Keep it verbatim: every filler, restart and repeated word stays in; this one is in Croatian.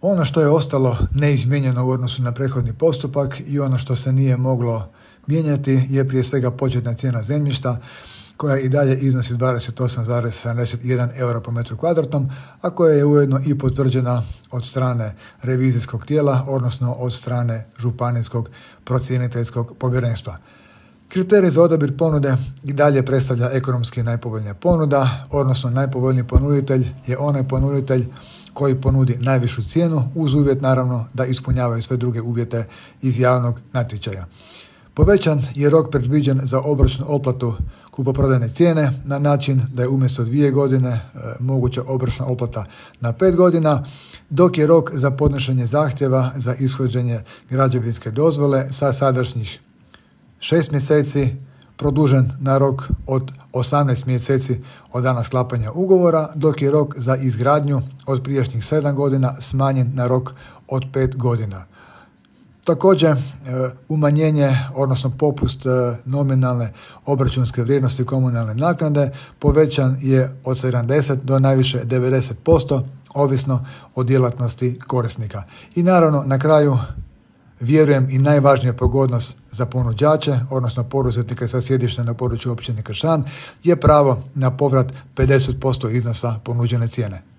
Ono što je ostalo neizmijenjeno u odnosu na prethodni postupak i ono što se nije moglo mijenjati je prije svega početna cijena zemljišta koja i dalje iznosi dvadeset osam zarez sedamdeset jedan euro po metru kvadratnom, a koja je ujedno i potvrđena od strane revizijskog tijela, odnosno od strane županijskog procjeniteljskog povjerenstva. Kriterij za odabir ponude i dalje predstavlja ekonomski najpovoljnija ponuda, odnosno najpovoljniji ponuditelj je onaj ponuditelj koji ponudi najvišu cijenu uz uvjet naravno da ispunjavaju sve druge uvjete iz javnog natječaja. Povećan je rok predviđen za obročnu otplatu kupoprodajne cijene na način da je umjesto dvije godine e, moguća obročna otplata na pet godina, dok je rok za podnošenje zahtjeva za ishođenje građevinske dozvole sa sadašnjih šest mjeseci produžen na rok od osamnaest mjeseci od dana sklapanja ugovora, dok je rok za izgradnju od prijašnjih sedam godina smanjen na rok od pet godina. Također, umanjenje, odnosno popust nominalne obračunske vrijednosti komunalne naknade povećan je od sedamdeset do najviše devedeset posto, ovisno o djelatnosti korisnika. I naravno, na kraju, vjerujem i najvažnija pogodnost za ponuđače, odnosno poduzetnike sa sjedištem na području općine Kršan, je pravo na povrat pedeset posto iznosa ponuđene cijene.